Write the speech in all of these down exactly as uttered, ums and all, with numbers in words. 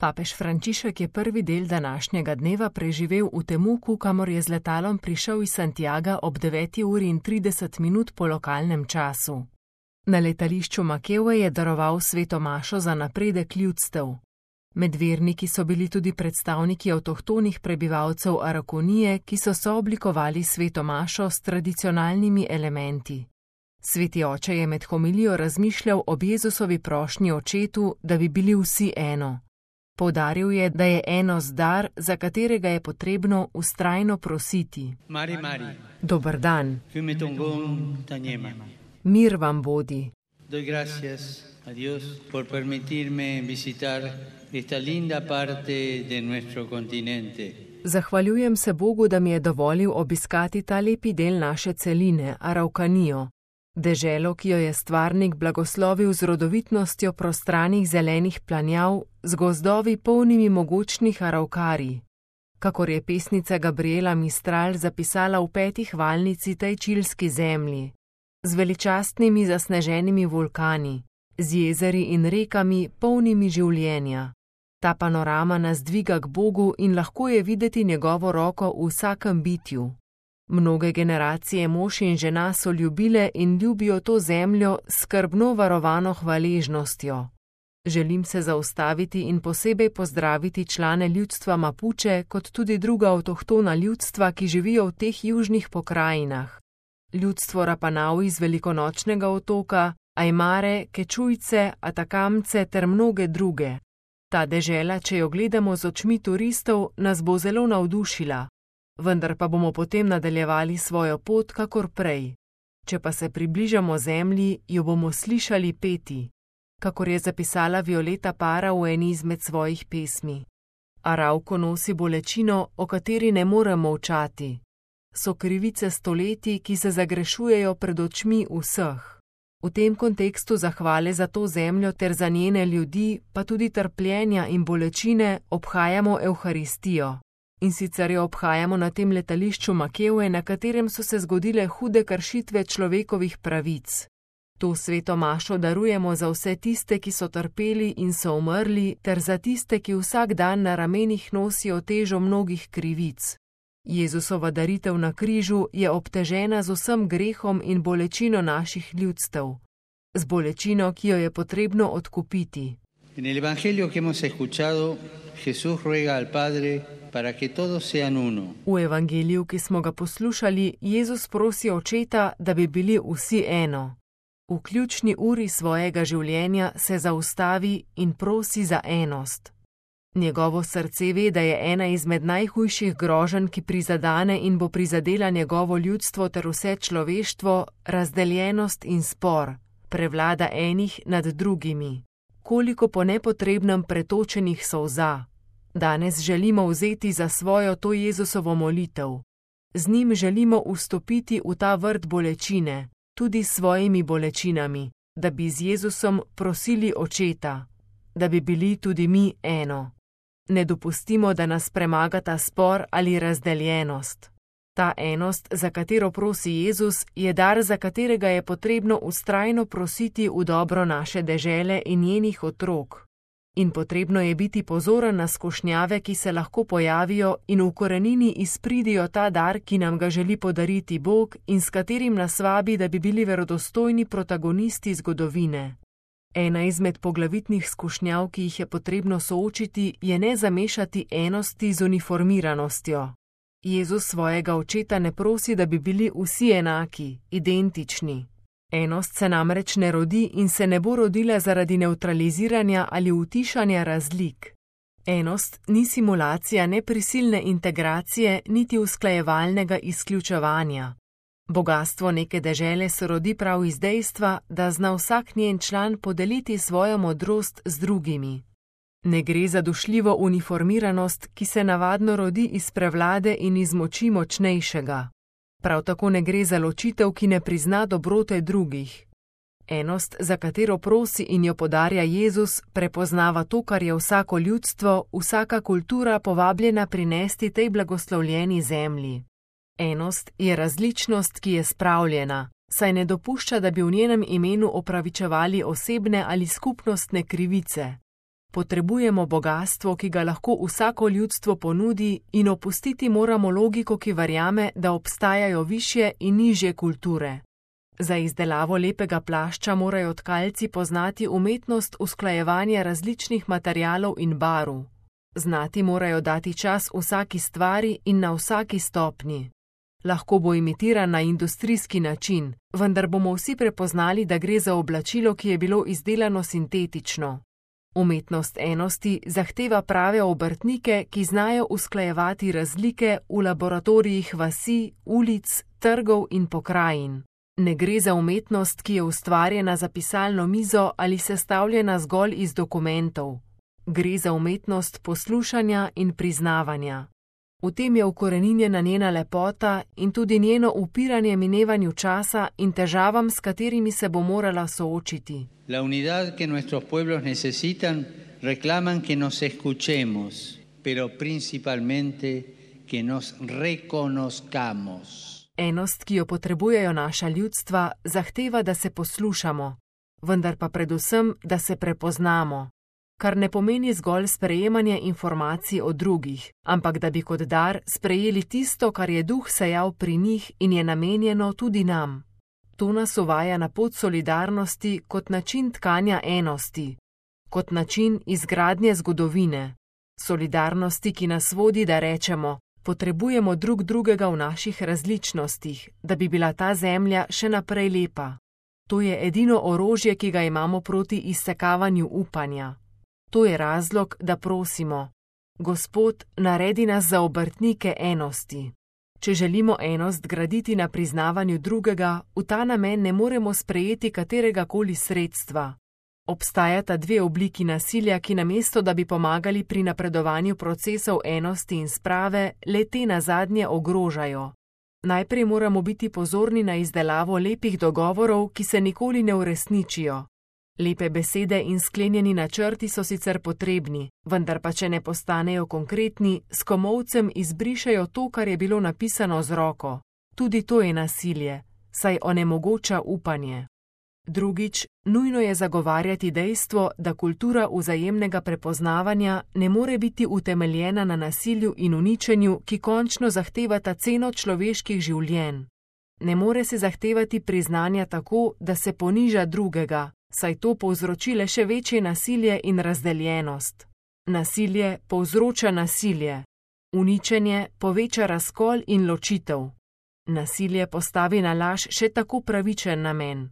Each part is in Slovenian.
Papež Frančišek je prvi del današnjega dneva preživel v Temuku, kamor je z letalom prišel iz Santiaga ob deveti uri in trideset minut po lokalnem času. Na letališču Makewe je daroval sveto mašo za napredek ljudstev. Med verniki so bili tudi predstavniki avtohtonih prebivalcev Arakonije, ki so sooblikovali sveto mašo s tradicionalnimi elementi. Sveti oče je med homilijo razmišljal ob Jezusovi prošnji očetu, da bi bili vsi eno. Poudaril je, da je enost dar, za katerega je potrebno vztrajno prositi. Mari, Mari. Dober dan. Fiumetongong Tanyema. Mir vam bodi. Doy gracias a Dios por permitirme visitar esta linda parte de nuestro continente. Zahvaljujem se Bogu, da mi je dovolil obiskati ta lepi del naše celine, Araukanijo, deželo, ki jo je stvarnik blagoslovil z rodovitnostjo prostranih zelenih planjav, z gozdovi polnimi mogočnih araukarij. Kakor je pesnica Gabriela Mistral zapisala v peti hvalnici tej čilski zemlji, z veličastnimi zasneženimi vulkani, z jezeri in rekami polnimi življenja. Ta panorama nas dviga k Bogu in lahko je videti njegovo roko v vsakem bitju. Mnoge generacije mož in žena so ljubile in ljubijo to zemljo s skrbno varovano hvaležnostjo. Želim se zaustaviti in posebej pozdraviti člane ljudstva Mapuče kot tudi druga avtohtona ljudstva, ki živijo v teh južnih pokrajinah. Ljudstvo Rapanau iz Velikonočnega otoka, Ajmare, Kečujce, Atakamce ter mnoge druge. Ta dežela, če jo gledamo z očmi turistov, nas bo zelo navdušila, vendar pa bomo potem nadaljevali svojo pot kakor prej. Če pa se približamo zemlji, jo bomo slišali peti, kakor je zapisala Violeta Parra v eni izmed svojih pesmi. Arauko nosi bolečino, o kateri ne moremo molčati. So krivice stoletij, ki se zagrešujejo pred očmi vseh. V tem kontekstu zahvale za to zemljo ter za njene ljudi, pa tudi trpljenja in bolečine, obhajamo Evharistijo. In sicer jo obhajamo na tem letališču Makewe, na katerem so se zgodile hude kršitve človekovih pravic. To sveto mašo darujemo za vse tiste, ki so trpeli in so umrli, ter za tiste, ki vsak dan na ramenih nosijo težo mnogih krivic. Jezusova daritev na križu je obtežena z vsem grehom in bolečino naših ljudstev, z bolečino, ki jo je potrebno odkupiti. En el evangelio que hemos escuchado, Jesús ruega al Padre para que todos sean uno. V evangeliju, ki smo ga poslušali, Jezus prosi očeta, da bi bili vsi eno. V ključni uri svojega življenja se zaustavi in prosi za enost. Njegovo srce ve, da je ena izmed najhujših groženj, ki prizadane in bo prizadela njegovo ljudstvo ter vse človeštvo, razdeljenost in spor, prevlada enih nad drugimi. Koliko po nepotrebnem pretočenih solza. Danes želimo vzeti za svojo to Jezusovo molitev. Z njim želimo vstopiti v ta vrt bolečine, tudi s svojimi bolečinami, da bi z Jezusom prosili očeta, da bi bili tudi mi eno. Ne dopustimo, da nas premagata spor ali razdeljenost. Ta enost, za katero prosi Jezus, je dar, za katerega je potrebno vztrajno prositi v dobro naše dežele in njenih otrok. In potrebno je biti pozoren na skušnjave, ki se lahko pojavijo in v korenini izpridijo ta dar, ki nam ga želi podariti Bog in s katerim nas vabi, da bi bili verodostojni protagonisti zgodovine. Ena izmed poglavitnih skušnjav, ki jih je potrebno soočiti, je ne zamešati enosti z uniformiranostjo. Jezus svojega očeta ne prosi, da bi bili vsi enaki, identični. Enost se namreč ne rodi in se ne bo rodila zaradi nevtraliziranja ali utišanja razlik. Enost ni simulacija neprisilne integracije niti usklajevalnega izključevanja. Bogastvo neke dežele se rodi prav iz dejstva, da zna vsak njen član podeliti svojo modrost z drugimi. Ne gre za dušljivo uniformiranost, ki se navadno rodi iz prevlade in iz moči močnejšega. Prav tako ne gre za ločitev, ki ne prizna dobrote drugih. Enost, za katero prosi in jo podarja Jezus, prepoznava to, kar je vsako ljudstvo, vsaka kultura povabljena prinesti tej blagoslovljeni zemlji. Enost je različnost, ki je spravljena, saj ne dopušča, da bi v njenem imenu opravičevali osebne ali skupnostne krivice. Potrebujemo bogastvo, ki ga lahko vsako ljudstvo ponudi, in opustiti moramo logiko, ki verjame, da obstajajo višje in nižje kulture. Za izdelavo lepega plašča morajo tkalci poznati umetnost usklajevanja različnih materialov in barv. Znati morajo dati čas vsaki stvari in na vsaki stopnji. Lahko bo imitiran na industrijski način, vendar bomo vsi prepoznali, da gre za oblačilo, ki je bilo izdelano sintetično. Umetnost enosti zahteva prave obrtnike, ki znajo usklajevati razlike v laboratorijih vasi, ulic, trgov in pokrajin. Ne gre za umetnost, ki je ustvarjena za pisalno mizo ali sestavljena zgolj iz dokumentov. Gre za umetnost poslušanja in priznavanja. V tem je ukoreninjena njena lepota in tudi njeno upiranje minevanju časa in težavam, s katerimi se bo morala soočiti. La unidad que nuestros pueblos necesitan reclaman que nos escuchemos, pero principalmente que nos reconozcamos. Enost, ki jo potrebujejo naša ljudstva, zahteva, da se poslušamo, vendar pa predvsem, da se prepoznamo. Kar ne pomeni zgolj sprejemanje informacij od drugih, ampak da bi kot dar sprejeli tisto, kar je duh sejal pri njih in je namenjeno tudi nam. To nas uvaja na pot solidarnosti kot način tkanja enosti, kot način izgradnje zgodovine. Solidarnosti, ki nas vodi, da rečemo, potrebujemo drug drugega v naših različnostih, da bi bila ta zemlja še naprej lepa. To je edino orožje, ki ga imamo proti izsekavanju upanja. To je razlog, da prosimo: Gospod, naredi nas za obrtnike enosti. Če želimo enost graditi na priznavanju drugega, v ta namen ne moremo sprejeti katerega koli sredstva. Obstajata dve obliki nasilja, ki namesto, da bi pomagali pri napredovanju procesov enosti in sprave, le te nazadnje ogrožajo. Najprej moramo biti pozorni na izdelavo lepih dogovorov, ki se nikoli ne uresničijo. Lepe besede in sklenjeni načrti so sicer potrebni, vendar pa če ne postanejo konkretni, s komolcem izbrišejo to, kar je bilo napisano z roko. Tudi to je nasilje, saj onemogoča upanje. Drugič, nujno je zagovarjati dejstvo, da kultura vzajemnega prepoznavanja ne more biti utemeljena na nasilju in uničenju, ki končno zahtevata ceno človeških življenj. Ne more se zahtevati priznanja tako, da se poniža drugega, saj to povzroči le še večje nasilje in razdeljenost. Nasilje povzroča nasilje. Uničenje poveča razkol in ločitev. Nasilje postavi na laž še tako pravičen namen.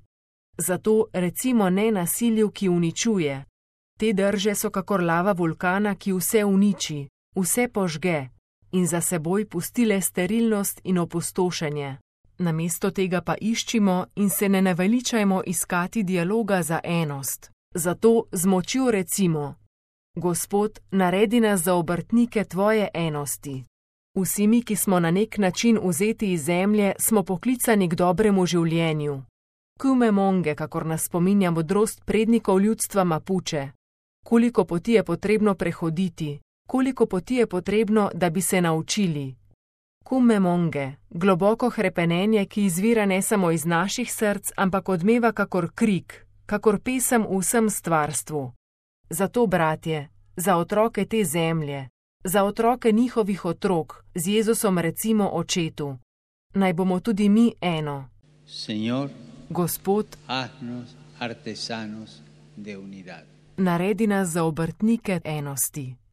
Zato recimo ne nasilju, ki uničuje. Te drže so kakor lava vulkana, ki vse uniči, vse požge in za seboj pusti le sterilnost in opustošenje. Namesto tega pa iščimo in se ne naveličajmo iskati dialoga za enost. Zato z močjo recimo: Gospod, naredi nas za obrtnike tvoje enosti. Vsi mi, ki smo na nek način vzeti iz zemlje, smo poklicani k dobremu življenju. Kume monge, kakor nas spominja modrost prednikov ljudstva Mapuče. Koliko poti je potrebno prehoditi, koliko poti je potrebno, da bi se naučili. Kume monge, globoko hrepenenje, ki izvira ne samo iz naših src, ampak odmeva kakor krik, kakor pesem v vsem stvarstvu. Zato, bratje, za otroke te zemlje, za otroke njihovih otrok, z Jezusom recimo očetu: naj bomo tudi mi eno. Señor, Gospod, haznos artesanos de unidad. Naredi nas za obrtnike enosti.